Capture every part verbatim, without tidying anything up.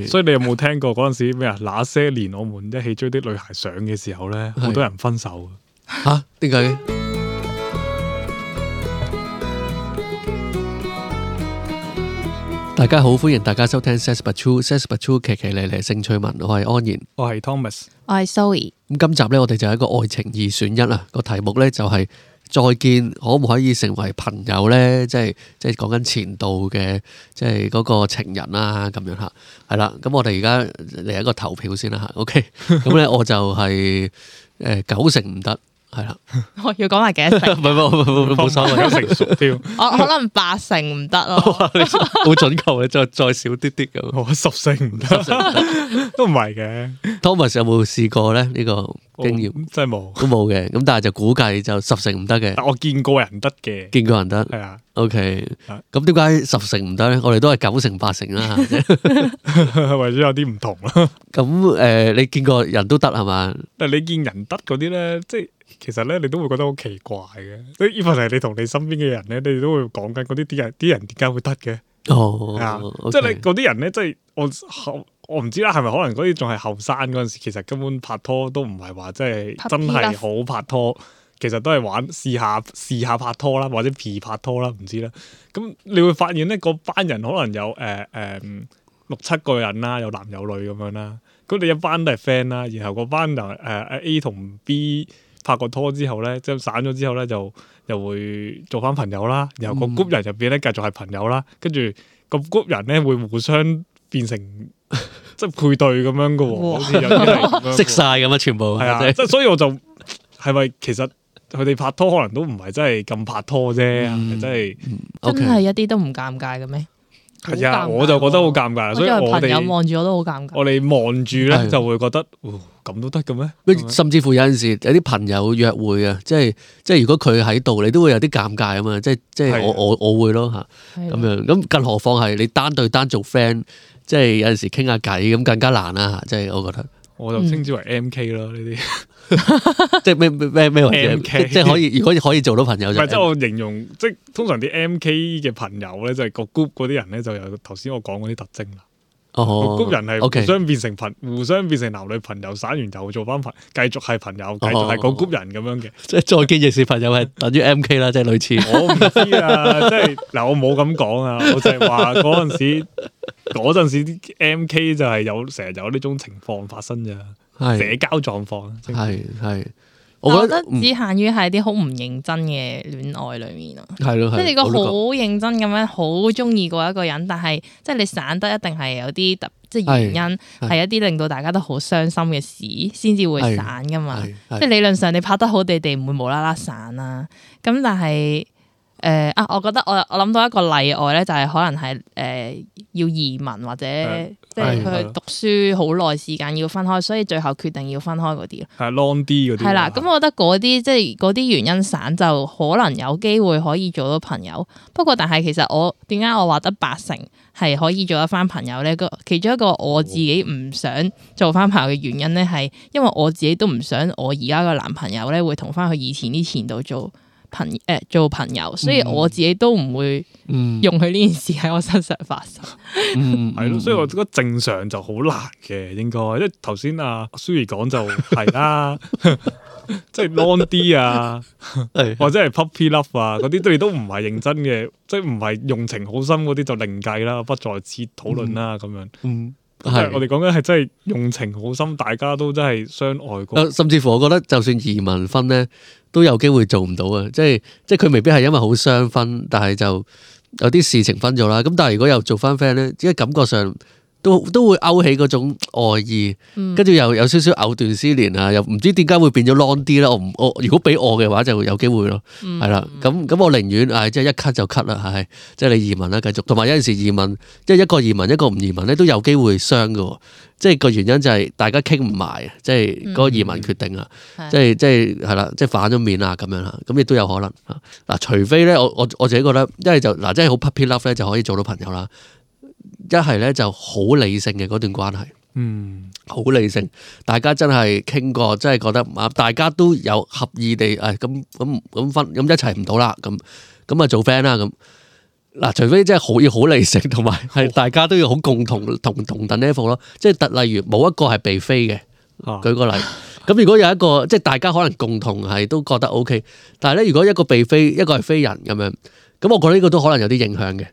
所以你有冇聽過嗰陣時咩啊？那些年我們一起追的女孩上嘅時候咧，好多人分手吓？點解？大家好，歡迎大家收聽 Says But True，Says But True 奇奇咧咧性趣聞，我係安然，我係 Thomas，我係 Zoe。咁今集咧，我哋就係一個愛情二選一啊！個題目咧就係再見可唔可以成為朋友咧？即係即係講緊前度嘅，即係嗰個情人啦咁樣吓，係啦。咁我哋而家嚟一個投票先啦吓 ，OK？ 咁咧我就係誒九成唔得。係啦，我要講埋幾多成？唔係唔係冇所謂，成熟啲。我可能八成唔得咯，好準確嘅，再再少啲啲咁。我十成唔得，都唔係嘅。Thomas 有冇試過咧？呢個經驗真係冇，都冇嘅。咁但係就估計就十成唔得嘅。但我見過人得嘅，見過人得。係啊。OK。咁點解十成唔得咧？我哋都係九成八成啦。為咗有啲唔同啦。咁誒，你見過人都得係嘛？但係你見人得嗰啲咧，即係。其實咧，你都會覺得好奇怪嘅。即係 even 係你同你身邊嘅人咧，你哋都會講緊嗰啲啲人，啲人點解會得嘅？哦，啊 okay. 即係你嗰啲人咧，即係我後我唔知啦，係咪可能嗰啲仲係後生嗰陣時，其實根本拍拖都唔係話即係真係好拍拖，其實都係玩試下試下拍拖啦，或者 P 拍拖啦，唔知啦。咁你會發現咧，嗰班人可能有誒誒、呃呃、六七個人啦，有男有女咁樣啦。咁你一班都係 friend 啦，然後嗰班就誒誒 A 同 B。拍過拖之後咧，即係散咗之後咧，就又會做翻朋友啦。然後個 group 人入邊咧，繼續係朋友啦。跟住個 group 人咧，會互相變成即係配對咁樣噶喎，好似有啲係咁樣。識晒咁啊，全部係啊，即係所以我就係咪其實佢哋拍拖可能都唔係真係咁拍拖啫，係咪真係真係一啲都唔尷尬嘅咩？係啊，我就覺得好尷尬，所以我哋朋友望住我都好尷尬。我哋望住咧就會覺得，咁都得嘅咩？甚至乎有陣時有啲朋友約會啊，即係即係如果佢喺度，你都會有啲尷尬啊嘛！即係即係我我我會咯嚇，咁樣咁，更何況係你單對單做 friend，即係有陣時傾下偈咁更加難啦嚇！即係我覺得，我就稱之為 M K 咯呢啲。即係咩咩咩為 M K， 即係可以，如果可以做到朋友就唔係，即係我形容，即係通常啲 M K 嘅朋友咧，就係個 group 嗰啲人咧，就有頭先我講嗰啲特徵啦。哦，個 group 人係互相變成朋， okay. 互相變成男女朋友，散完又做翻朋，繼續係朋友，繼續係個 group 人咁樣嘅。即係再見亦是朋友係等於 M K 啦，即係類似。我唔知啊，即係嗱，我冇咁講啊，我就係話嗰陣時，嗰陣時啲 M K 就係有成日有呢種情況發生咋。社交狀況係係，我覺得只限於係啲好唔認真嘅戀愛裏面咯。係咯，即係你個好認真咁樣，好中意過一個人，但係即係你散得一定係有啲特，即係原因係一啲令到大家都好傷心嘅事，先至會散噶嘛。即係理論上你拍得好地地唔會無啦啦散啦。咁但係誒、呃、啊，我覺得我我諗到一個例外咧，就係、是、可能係誒、呃、要移民或者即係佢去讀書好耐時間要分開，所以最後決定要分開嗰啲咯。係 long 啲嗰啲。係啦，咁我覺得嗰啲即係嗰啲原因散就可能有機會可以做到朋友。不過但係其實我點解我話得八成係可以做得翻朋友咧？個其中一個我自己唔想做翻朋友嘅原因咧，係因為我自己都唔想我而家個男朋友咧會同翻佢以前啲前度做。朋誒、呃、做朋友，所以我自己都唔會用佢呢件事喺我身上發生。嗯，係咯，所以我覺得正常就好難嘅，應該，因為頭先阿 Suri 講就係啦，即係 long 啲啊，或者係 puppy love 啊，嗰啲對都唔係認真嘅，即係唔係用情好深嗰啲就另計啦，不在此討論啦咁樣。嗯，係我哋講緊係真係用情好深，大家都真係相愛過。甚至乎我覺得就算移民婚咧，都有機會做唔到啊！即係即係佢未必係因為好雙分，但係就有啲事情分咗啦。咁但係如果又做翻 friend 咧，即係感覺上都都會勾起嗰種愛意，跟住、嗯、又有少少藕斷絲連啊！又唔知點解會變咗 long 啲啦。我唔我如果俾我嘅話，就會有機會咯。係啦、嗯，咁咁我寧願唉，即係一 cut 就 cut 啦，係即係你移民啦，繼續。同埋有陣時移民，即係一個移民一個唔移民咧，都有機會傷㗎。即係個原因就係大家傾唔埋，即係嗰個移民決定啊、嗯，即係即係係啦，即係反咗面啊咁樣啦，咁亦都有可能嗱，除非咧，我我我自己覺得，一係就嗱，即係好 puppy love 咧就可以做到朋友啦，一係咧就好理性嘅嗰段關係，嗯，好理性，大家真係傾過，真係覺得啊，大家都有合意地誒，咁咁咁分咁一齊唔到啦，咁咁啊做 friend 啦咁。嗱，除非真係好要好理性，同埋係大家都要好共同同同等 level 咯。即係特例如冇一個係被飛嘅，舉個例。咁如果有一個即係大家可能共同係都覺得 OK， 但係咧如果一個被飛，一個係飛人咁樣，咁我覺得呢個都可能有啲影響嘅。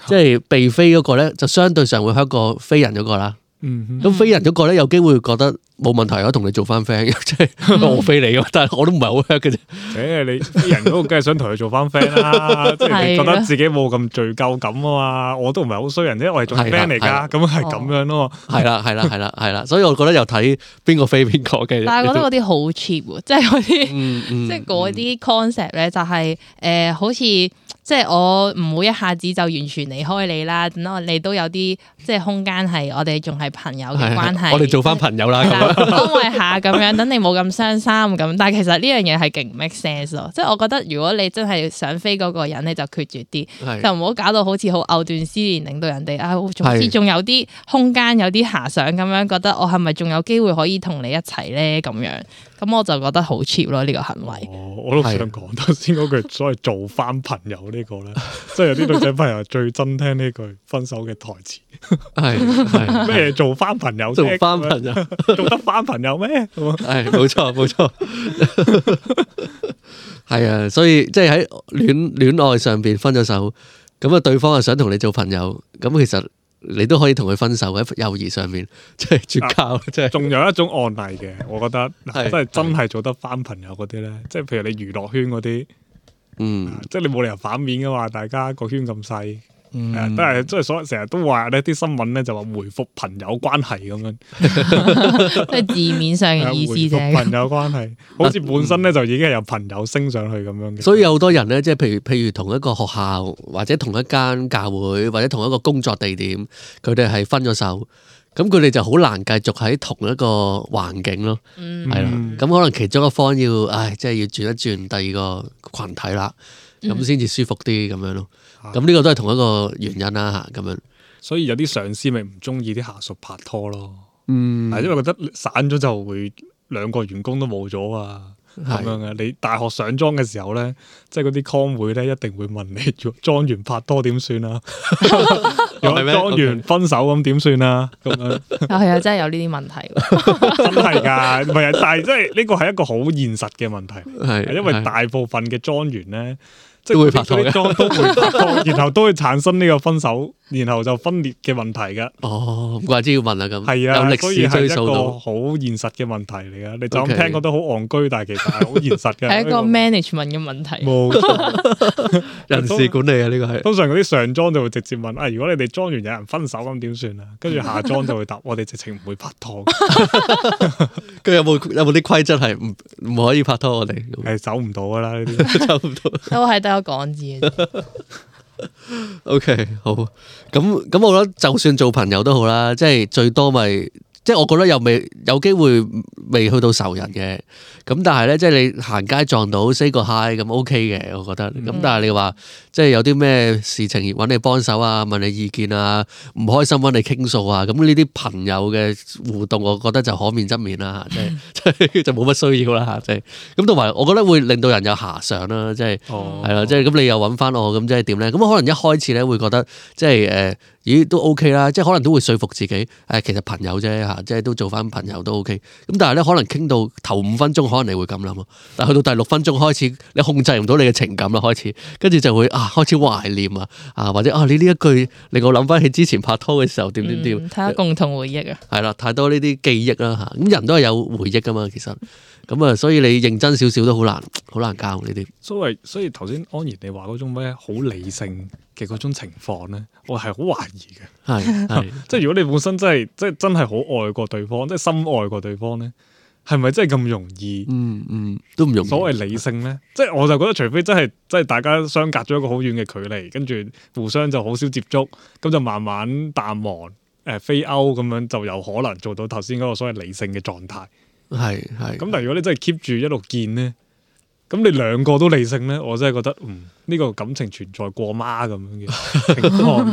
即係被飛嗰個咧，就相對上會香過飛人嗰個啦。咁、嗯、飛人嗰個咧，有機會覺得冇問題，我同你做翻 friend，即係我飛你嘅，但係我都唔係好 hurt 嘅啫。誒，你飛人嗰個梗係想同佢做翻 friend 啦，即係你覺得自己冇咁罪疚感啊嘛。我都唔係好衰人啫，我係做 friend 嚟㗎，咁係咁樣咯。係啦，係啦，係啦，係啦，所以我覺得又睇邊個飛邊個嘅。但係覺得嗰啲好 cheap 喎，即係嗰啲，即係嗰啲 concept 咧，就係誒好似。即係我唔會一下子就完全離開你啦，等我哋都有啲即係空間係我哋仲係朋友嘅關係。我哋做翻朋友啦，安慰下咁樣，等你冇咁傷心咁。但係其實呢樣嘢係勁 make sense 咯，即係我覺得如果你真係想飛嗰個人，你就決絕啲，是就唔好搞到好似好藕斷絲連，令到人哋啊，總之仲有啲空間，有啲遐想咁樣，覺得我係咪仲有機會可以同你一齊咧咁樣？咁我就覺得好 cheap 咯呢個行為。哦，我都想講頭先嗰句所謂做翻朋友呢個咧，即係有啲女仔朋友最憎聽呢句分手嘅台詞。係咩做翻朋友？做翻朋友做得翻朋友咩？係冇錯冇錯。係啊，所以即係喺戀戀愛上邊分咗手，咁啊對方又想同你做朋友，咁其實。你都可以同佢分手喺友誼上面，即係絕交，即係。仲有一種案例嘅，我覺得，即係真係做得翻朋友嗰啲咧，即係譬如你娛樂圈嗰啲，嗯，即係你冇理由反面噶嘛，大家個圈咁細。嗯，都係即係所成日都話呢啲新聞咧就話回復朋友關係咁樣，即係字面上嘅意思啫。回復朋友關係，好似本身咧就已經係由朋友升上去咁樣嘅。所以有好多人咧，即係譬如譬如同一個學校或者同一間教會或者同一個工作地點，佢哋係分咗手，咁佢哋就好難繼續喺同一個環境咯。嗯，係啦，咁可能其中一方要，唉，即係要轉一轉第二個群體啦，咁先至舒服啲咁樣咯。咁呢個都係同一個原因啦，咁樣。所以有啲上司咪唔中意啲下屬拍拖咯，嗯，係因為覺得散咗就會兩個員工都冇咗啊，咁樣嘅。你大學上莊嘅時候咧，即係嗰啲 con 會咧，一定會問你莊員拍拖點算啊？如果莊員分手咁點算啊？咁樣係啊，真係有呢啲問題，真係噶，唔係，但係即係呢個係一個好現實嘅問題，係因為大部分嘅莊員咧。即係會拍拖嘅，都會拍拖，然後都會產生呢個分手，然後就分裂嘅問題㗎。哦，唔怪之要問啦咁。係啊，有歷史追溯到，所以係一個好現實嘅問題嚟㗎。你就咁聽覺得好戇居，但係其實係好現實嘅。係一個 management 嘅問題。冇錯，人事管理啊，呢個係。通常嗰啲上莊就會直接問啊，如果你哋莊員有人分手咁點算啊？跟住下莊就會答，我哋直情唔會拍拖。佢有冇有冇啲規則係唔唔可以拍拖？我哋係走唔到㗎啦，呢啲走唔到。都係得。講字，OK 好，咁咁我覺得就算做朋友都好啦，即係最多咪、就是，即係我覺得又未有機會未去到仇人嘅，咁但係咧，即係你行街撞到 say 個 hi 咁 OK 嘅，我覺得，咁、嗯、但係你話即係有啲咩事情揾你幫手啊，問你意見啊，唔開心揾你傾訴啊，咁呢啲朋友嘅互動，我覺得就可免則免啦，即係即係就冇乜需要啦，即係咁同埋我覺得會令到人有遐想啦，即係係啦，即係咁你又揾翻我，咁即係點咧？咁可能一開始咧會覺得即係誒，咦都 OK 啦，即係可能都會說服自己誒，其實朋友啫嚇，即係都做翻朋友都 OK。咁但係咧可能傾到頭五分鐘，可能你會咁諗咯，但係去到第六分鐘開始，你控制唔到你嘅情感啦，開始跟住就會啊開始懷念啊啊或者啊你呢一句令我諗翻起之前拍拖嘅時候點點點，睇下共同回憶啊，係啦，太多呢啲記憶啦嚇，咁人都係有回憶噶嘛，其實咁啊，所以你認真少少都好難好難教呢啲。所以所以頭先安然你話嗰種咩好理性嘅嗰種情況咧，我係好懷疑嘅。係係，即係如果你本身真係即係真係好愛過對方，即係深愛過對方咧，係咪真係咁容易？嗯嗯，都唔容易。所謂理性咧，即係我就覺得，除非真係即係大家相隔咗一個好遠嘅距離，跟住互相就好少接觸，咁就慢慢淡忘誒飛歐咁樣，就有可能做到頭先嗰個所謂理性嘅狀態。係係。咁但係如果你真係 keep 住一路見咧，咁你兩個都理性咧，我真係覺得嗯呢、這個感情存在過媽咁樣嘅情況。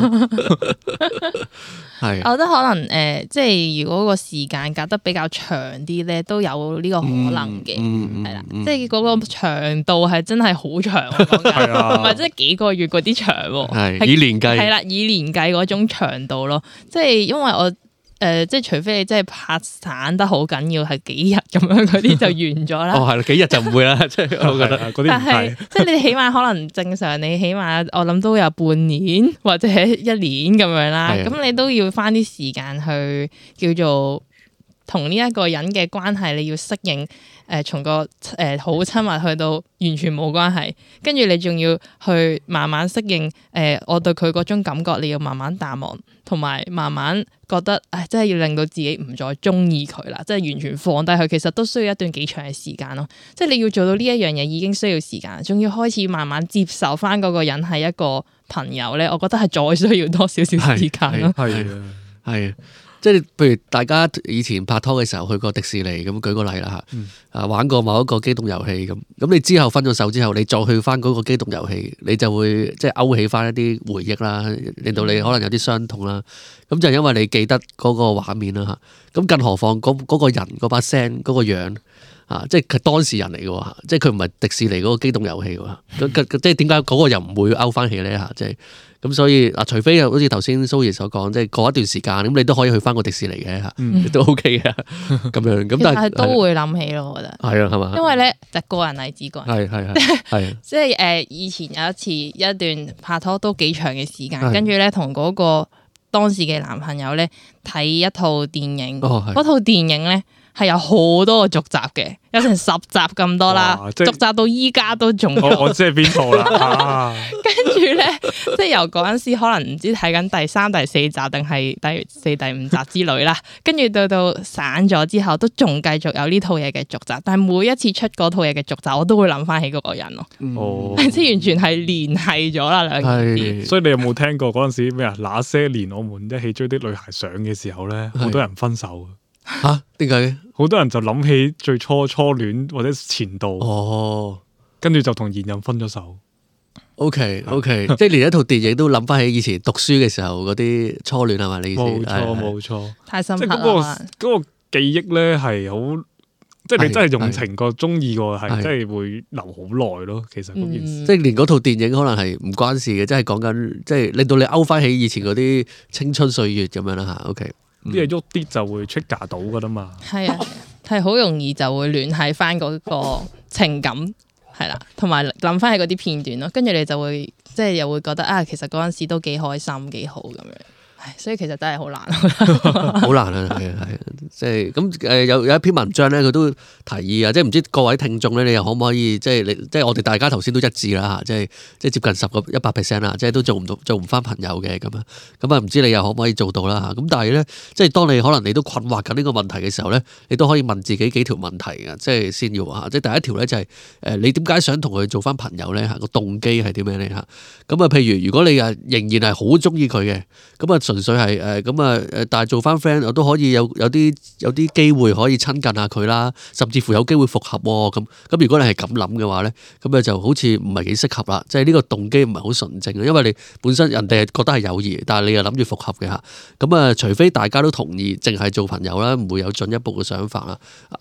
係，我覺得可能誒、呃，即係如果個時間隔得比較長啲咧，都有呢個可能嘅，係啦、嗯，嗯、即係嗰個長度係真係好長，唔係即係幾個月嗰啲長喎，係以年計，係啦，以年計嗰種長度咯，即係因為我。誒、呃，即係除非你真係拍散得好緊要，係幾日咁樣嗰啲就完咗啦。哦，係啦，幾日就唔會啦，即係我覺得嗰啲但係即係你起碼可能正常，你起碼我諗都有半年或者一年咁樣啦。咁的你都要花啲時間去叫做同呢一個人嘅關係，你要適應。誒、呃，從個誒好親密去到完全冇關係，跟住你仲要去慢慢適應。誒、呃，我對佢嗰種感覺，你要慢慢淡忘，同埋慢慢覺得，誒，真係要令到自己唔再中意佢啦，即係完全放低佢。其實都需要一段幾長嘅時間咯。即係你要做到呢一樣嘢，已經需要時間，仲要開始慢慢接受翻嗰個人係一個朋友咧。我覺得係再需要多少少時間咯。係啊，係啊。即係譬如大家以前拍拖嘅時候去過迪士尼咁，舉個例啦嚇，嗯、啊玩過某一個機動遊戲咁，咁你之後分咗手之後，你再去翻嗰個機動遊戲，你就會即係勾起翻一啲回憶啦，令到你可能有啲傷痛啦。咁就因為你記得嗰個畫面啦嚇，咁更何況嗰嗰個人嗰把聲嗰個樣啊，即係佢當事人嚟嘅喎，即係佢唔係迪士尼嗰個機動遊戲喎，咁即係點解嗰個又唔會勾翻起咧嚇？即係。咁所以嗱，除非好似頭先蘇爺所講，即係過一段時間，咁你都可以去翻個迪士尼嘅嚇，嗯、都 OK 嘅咁樣。咁但係都會諗起咯，我覺得係啊，係嘛？因為咧就個人例子個人係係係係，即係誒以前有一次一段拍拖都幾長嘅時間，跟住咧同嗰個當時嘅男朋友咧睇一套電影，嗰、哦、套電影咧係有好多個續集嘅。有成十集咁多啦，續集到依家都仲有。我知係邊套啦。跟住咧，即係由嗰陣時可能唔知睇緊第三、第四集定係第四、第五集之類啦。跟住到到散咗之後，都仲繼續有呢套嘢嘅續集。但係每一次出嗰套嘢嘅續集，我都會諗翻起嗰個人咯。哦，即係完全係聯繫咗啦兩件事。所以你有冇聽過嗰陣時咩啊？那些年我們一起追的女孩上嘅時候咧，好多人分手。吓？點解嘅？好多人就諗起最初初戀或者前度，哦，跟住就同現任分咗手。O K O K， 即係連一套電影都諗翻起以前讀書嘅時候嗰啲初戀係嘛？你意思？冇錯冇錯，太深刻啦。即係嗰個嗰個記憶咧係好，即係你真係用情過中意過，係真係會留好耐咯。其實嗰件事，即係連嗰套電影可能係唔關事嘅，即係講緊即係令到你勾翻起以前嗰啲青春歲月咁樣啦吓。O K。啲嘢喐啲就會 trigger 到噶啦嘛，係啊，係好容易就會聯繫翻嗰個情感，係啦，同埋諗翻起嗰啲片段咯，跟住你就會即係又會覺得啊，其實嗰陣時都幾開心幾好咁樣。所以其實真係好難，好難啊！係啊，係啊，即係咁誒，有有一篇文章咧，佢都提議啊，即係唔知各位聽眾咧，你又可唔可以即係你即係我哋大家頭先都一致啦嚇，即係即係接近十個一百 percent 啦，即係都做唔到做唔翻朋友嘅咁啊，咁啊唔知你又可唔可以做到啦嚇？咁但係咧，即係當你可能你都困惑緊呢個問題嘅時候咧，你都可以問自己幾條問題嘅，即係先要嚇，即係第一條咧就係誒你點解想同佢做翻朋友咧嚇？個動機係點樣咧嚇？咁啊，譬如如果你啊仍然係好中意佢嘅，咁啊純粹係誒咁啊誒，但係做翻 friend 我都可以有有啲有啲機會可以親近下佢啦，甚至乎有機會復合喎咁。咁如果你係咁諗嘅話咧，咁啊就好似唔係幾適合啦。即係呢個動機唔係好純正，因為你本身人哋係覺得係友誼，但係你又諗住復合嘅嚇。咁啊，除非大家都同意，淨係做朋友啦，唔會有進一步嘅想法啦。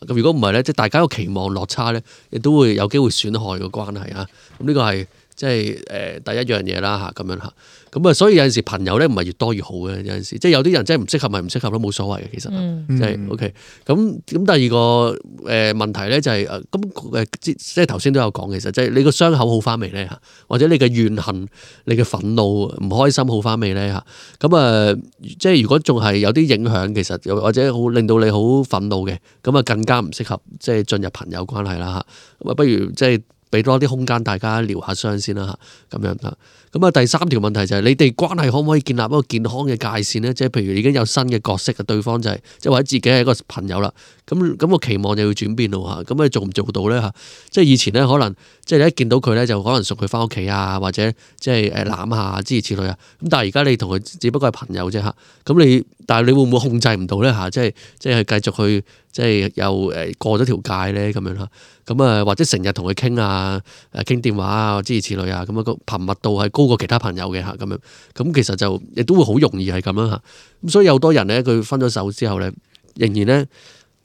咁如果唔係咧，即係大家個期望落差咧，亦都會有機會損害個關係啊。咁呢個係即係誒第一樣嘢啦嚇，咁樣嚇。咁啊，所以有陣時朋友咧唔係越多越好嘅，有陣時即係有啲人真係唔適合咪唔適合都冇所謂嘅，其實即係 OK。咁咁第二個誒問題咧就係誒咁誒即係頭先都有講，其實即係你個傷口好翻未咧嚇，或者你嘅怨恨、你嘅憤怒、唔開心好翻未咧嚇？咁啊，即係如果仲係有啲影響，其實又或者好令到你好憤怒嘅，咁啊更加唔適合即係進入朋友關係啦嚇。咁啊，不如即係俾多啲空間大家療下傷先啦嚇，咁樣嚇。咁啊，第三條問題就係你哋關係可唔可以建立一個健康嘅界線咧？即係譬如已經有新嘅角色嘅對方就係即係或者自己係一個朋友啦。咁咁個期望就要轉變咯嚇。咁你做唔做到咧嚇？即係以前咧可能即係你一見到佢咧就可能送佢翻屋企啊，或者即係誒攬下諸如此類啊。咁但係而家你同佢只不過係朋友啫嚇。咁你但係你會唔會控制唔到咧嚇？即係即係繼續去即係又誒過咗條界咧咁樣嚇。咁啊或者成日同佢傾啊誒傾電話啊諸如此類啊。咁啊個頻密度係高過其他朋友嘅嚇咁樣。咁其實就亦都會好容易係咁樣嚇。咁所以有好多人咧佢分咗手之後咧，仍然咧。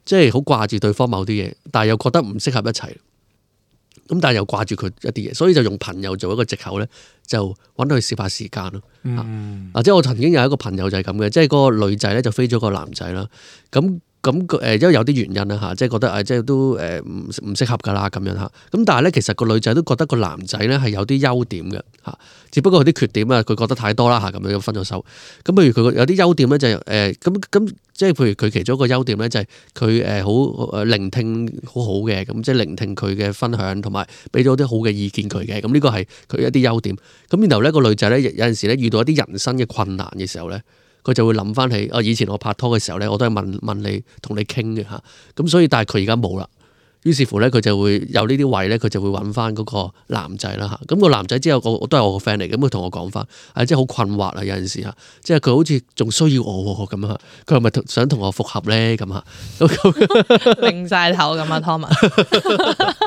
即係好掛住對方某啲嘢，但係又覺得唔適合一齊，咁但係又掛住佢一啲嘢，所以就用朋友做一個藉口咧，就揾佢消化時間咯。嗯、啊，即係我曾經有一個朋友就係咁嘅，即係嗰個女仔咧就飛咗個男仔啦，咁。咁誒，因為有啲原因啦嚇，即係覺得誒，即係都誒唔唔適合噶啦咁樣嚇。咁但係咧，其實個女仔都覺得個男仔咧係有啲優點嘅嚇，只不過佢啲缺點啊，佢覺得太多啦嚇，咁樣分咗手。咁譬如佢有啲優點咧就係誒咁咁，即係譬如佢其中一個優點咧就係佢誒好誒聆聽好好嘅，咁即係聆聽佢嘅分享，同埋俾咗啲好嘅意見佢嘅。咁呢個係佢一啲優點。咁然後咧個女仔咧有陣時咧遇到一啲人生嘅困難嘅時候咧。佢就會諗翻起，啊以前我拍拖嘅時候咧，我都係問問你同你傾嘅嚇，咁所以但係佢而家冇啦，於是乎咧佢就會有呢啲位咧，佢就會揾翻嗰個男仔啦嚇，咁個男仔之後個都係我個 friend 嚟，咁佢同我講翻，啊即係好困惑啊有陣時嚇，即係佢好似仲需要我咁啊，佢係咪想同我復合咧咁啊？擰晒頭咁啊，Thomas。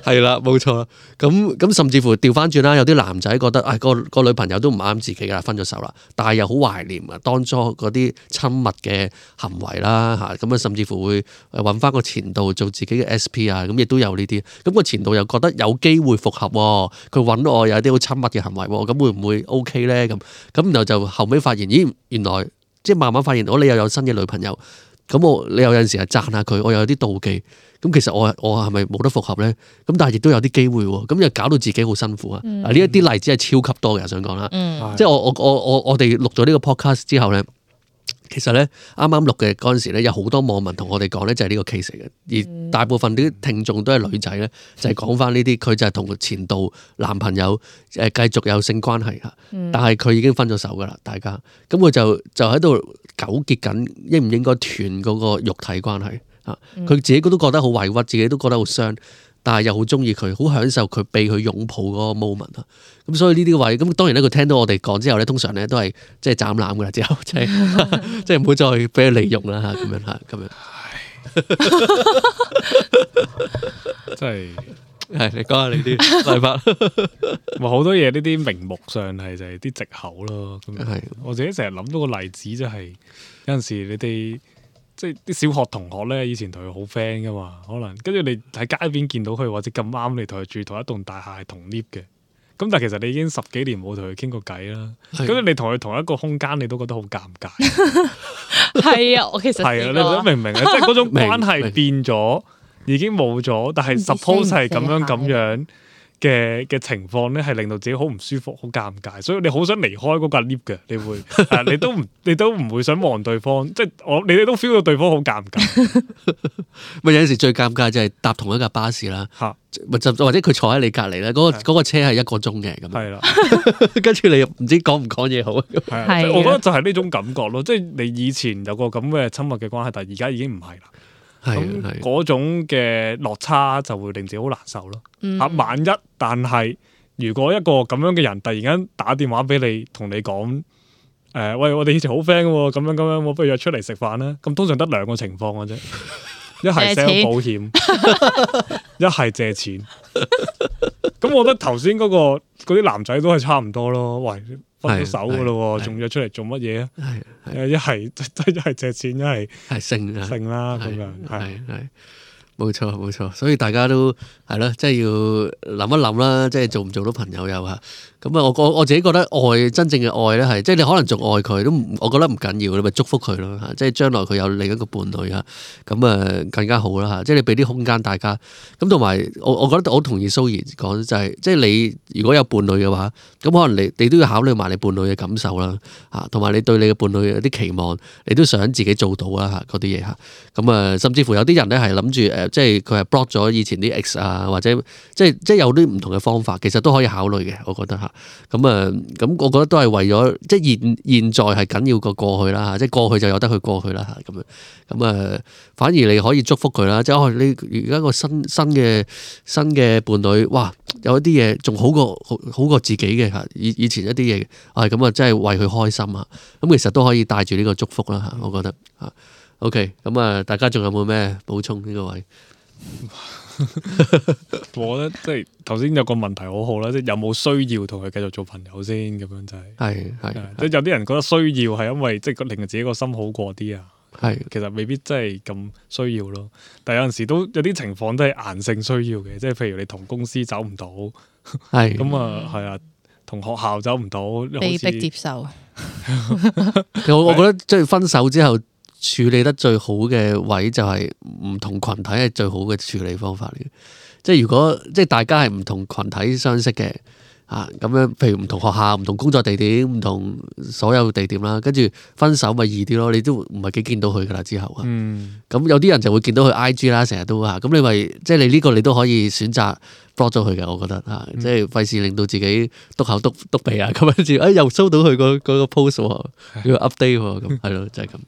係啦，冇錯啦。咁咁甚至乎調翻轉啦，有啲男仔覺得啊、哎、個個女朋友都唔啱自己噶啦，分咗手啦，但係又好懷念啊當初嗰啲親密嘅行為啦嚇，咁啊甚至乎會揾翻個前度做自己嘅 S P 啊，咁亦都有呢啲。咁個前度又覺得有機會復合喎，佢揾我有啲好親密嘅行為喎，咁會唔會 OK 咧？咁咁然後就後尾發現，咦原來即係慢慢發現，我你又有新嘅女朋友，咁我你有陣時係讚下佢，我又有啲妒忌。咁其實我我係咪冇得復合咧？咁但係亦都有啲機會喎，咁又搞到自己好辛苦啊！嗱呢一啲例子係超級多嘅，想講啦，嗯、即係我我我我我哋錄咗呢個 podcast 之後咧，其實咧啱啱錄嘅嗰陣時咧，有好多網民同我哋講咧，就係呢個 case 嚟嘅，而大部分啲聽眾都係女仔咧，就係講翻呢啲，佢就係同前度男朋友誒繼續有性關係嚇，但係佢已經分咗手噶啦，大家咁佢就就喺度糾結緊應唔應該斷嗰個肉體關係。佢自己都覺得好委屈，自己都覺得好傷，但係又好中意佢，好享受佢被佢擁抱嗰個 moment 啊！咁所以呢啲位，咁當然咧，佢聽到我哋講之後咧，通常咧都係即係斬纜噶啦，之後即係即係唔好再俾佢利用啦嚇，咁樣嚇，咁樣。真係係你講下你啲睇法。咪好多嘢呢啲名目上係就係啲藉口咯。咁係我自己成日諗到個例子就係有陣時你哋。即係啲小學同學咧，以前同佢好 friend 噶嘛，可能跟住你喺街邊見到佢，或者咁啱你同佢住同一棟大廈係同 lift 嘅，咁但係其實你已經十幾年冇同佢傾過偈啦，咁的你同佢同一個空間，你都覺得好尷尬。係啊，我其實係啊，你都明唔明啊？即係嗰種關係變咗，已經冇咗，但係 suppose 係咁樣咁樣嘅嘅情況咧，係令到自己好唔舒服、好尷尬，所以你好想離開嗰架 lift 嘅，你會，誒，你都唔，你都唔會想望對方，即係我，你哋都 feel 到對方好尷尬。咪有陣時最尷尬就係搭同一架巴士啦，嚇，或者佢坐喺你隔離咧，嗰個嗰個車係一個鐘嘅咁。係啦，跟住你又唔知講唔講嘢好。係，我覺得就係呢種感覺咯，即係你以前有個咁嘅親密嘅關係，但係而家已經唔係啦。咁嗰種嘅落差就會令自己好難受咯。啊、嗯，萬一但係如果一個咁樣嘅人突然間打電話俾你，同你講，誒、呃，喂，我哋以前好 friend 嘅，咁樣咁樣，我不如約出嚟食飯啦。咁通常得兩個情況嘅啫，一係 sell 保險，一係借錢。咁我覺得頭先嗰個嗰啲男仔都係差唔多咯。喂，分咗手嘅咯，仲約出嚟做乜嘢啊？係，一係一係借錢，一係係性啊，性啦咁樣，係係冇錯冇錯，所以大家都係咯，即係要諗一諗啦，即係做唔做到朋友又嚇。咁啊，我我我自己覺得愛真正嘅愛咧係，即係你可能仲愛佢都唔，我覺得唔緊要，你咪祝福佢咯嚇。即係將來佢有另一個伴侶啊，咁啊更加好啦嚇。即係你俾啲空間大家。咁同埋我我覺得我同意蘇怡講就係，即係你如果有伴侶嘅話，咁可能你你都要考慮埋你伴侶嘅感受啦嚇，同埋你對你嘅伴侶有啲期望，你都想自己做到啦嚇嗰啲嘢嚇。咁啊，甚至乎有啲人咧係諗住誒誒，即係佢係 block 咗以前啲 X 啊，或者即係即係有啲唔同嘅方法，其實都可以考慮嘅，我覺得嚇。咁啊，咁我覺得都係為咗即係現現在係緊要過過去啦嚇，即係過去就有得佢過去啦嚇咁樣。咁啊，反而你可以祝福佢啦，即係哦，你而家個新新嘅新嘅伴侶，哇，有一啲嘢仲好過好好過自己嘅嚇，以以前一啲嘢，係咁啊，真係為佢開心啊！咁其實都可以帶住呢個祝福啦嚇，我覺得嚇。OK，咁啊，大家仲有冇咩補充呢個位？我覺得即係頭先有個問題好好啦，即係有冇需要同佢繼續做朋友先咁樣就係。係係，即係有啲人覺得需要係因為即係令自己個心好過啲啊。係，其實未必真係咁需要咯。但係有陣時都有啲情況都係硬性需要嘅，即係譬如你同公司走唔到，係咁啊，係啊，同學校走唔到，被逼接受。我我覺得即係分手之後處理得最好嘅位就係唔同群體係最好嘅處理方法嚟嘅。即係如果即係大家係唔同群體相識嘅。啊，咁樣，譬如唔同學校、唔同工作地點、唔同所有地點啦，跟住分手咪易啲咯。你都唔係幾見到佢噶啦之後啊。咁、嗯、有啲人就會見到佢 I G 啦，成日都啊。咁你咪即係你呢個你都可以選擇 block 咗佢嘅，我覺得啊，嗯、即係費事令到自己篤口篤篤鼻啊，咁跟住哎又收到佢個嗰個 post 喎，要 update 喎，咁係咯，就係、是、咁。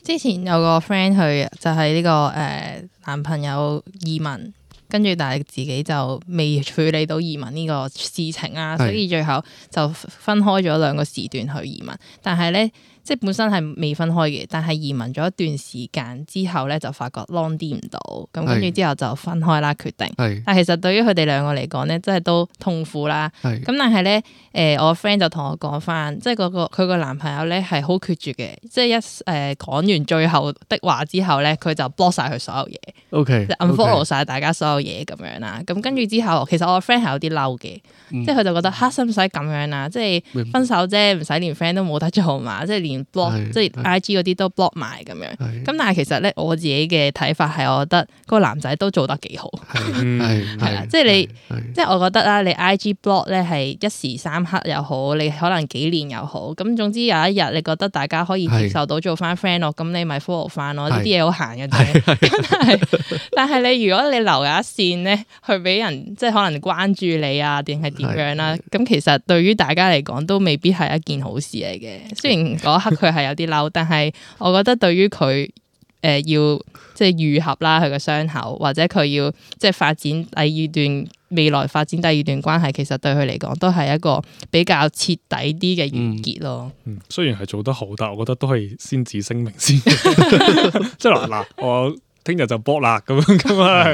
之前有個 friend 去就係、是、呢、這個誒、呃、男朋友移民。跟住，但係自己就未處理到移民呢個事情啊，所以最後就分開咗兩個時段去移民。但係咧，即係本身係未分開嘅，但係移民咗一段時間之後咧，就發覺 long 啲唔到，咁跟住之後就分開啦，決定。是但係其實對於佢哋兩個嚟講咧，真係都痛苦啦。咁是但係咧，誒、呃、我 friend 就同我講翻，即係嗰個佢個男朋友咧係好決絕嘅，即係一誒講、呃、完最後的話之後咧，佢就 block 晒佢所有嘢，OK，就 unfollow 晒大家所有嘢咁樣啦。咁跟住之後，其實我個 friend 係有啲嬲嘅，嗯、即係佢就覺得嚇使唔使咁樣啊？即係分手啫，唔使連 friend 都冇得做嘛，即係連 block 是即係 I G 嗰啲都 block 埋咁樣。咁是但係其實咧，我自己嘅睇法係，我覺得嗰個男仔都做得幾好，係啦，即係你，即係我覺得啦，你 I G block 咧係一時三刻又好，你可能幾年又好，咁總之有一日你覺得大家可以接受到做翻 friend 咯，咁你咪 follow 翻咯，呢啲嘢好閒嘅啫。咁但係但係你如果你留有一線咧，去俾人即係可能關注你啊，定係點樣啦？咁其實對於大家嚟講都未必係一件好事嚟嘅。雖然嗰一刻佢係有啲嬲，但係我覺得對於佢誒要即係愈合啦，佢嘅傷口，或者佢要即係發展第二段未來發展第二段關係，其實對佢嚟講都係一個比較徹底啲嘅完結咯。嗯，雖然係做得好，但係我覺得都係先旨聲明先。即係嗱嗱我。聽日就搏啦，咁樣咁啊，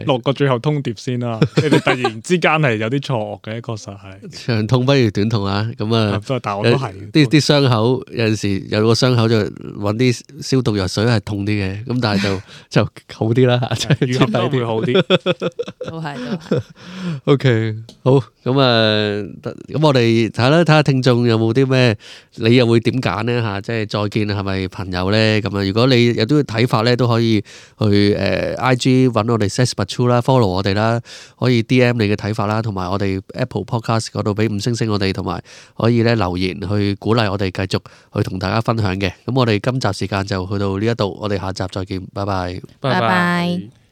落個最後通牒先啦。你哋突然之間係有啲錯愕嘅，確實係長痛不如短痛啊！咁啊，但我都係啲啲傷口有陣時有個傷口就揾啲消毒藥水係痛啲嘅，咁但係就就好啲啦，愈合都會好啲。都係都係。O K，好咁啊，咁我哋睇啦，睇下聽眾有冇啲咩，你又會點揀呢？嚇？即係再見係咪朋友咧？咁啊，如果你有啲睇法咧，都可以。去誒、呃、I G 揾我哋 Says But True 啦 ，follow 我哋啦，可以 D M 你嘅睇法啦，同埋我哋 Apple Podcast 嗰度俾五星星我哋，同埋可以咧留言去鼓勵我哋繼續去同大家分享嘅。咁我哋今集時間就去到呢一度，我哋下集再見，拜拜，拜拜。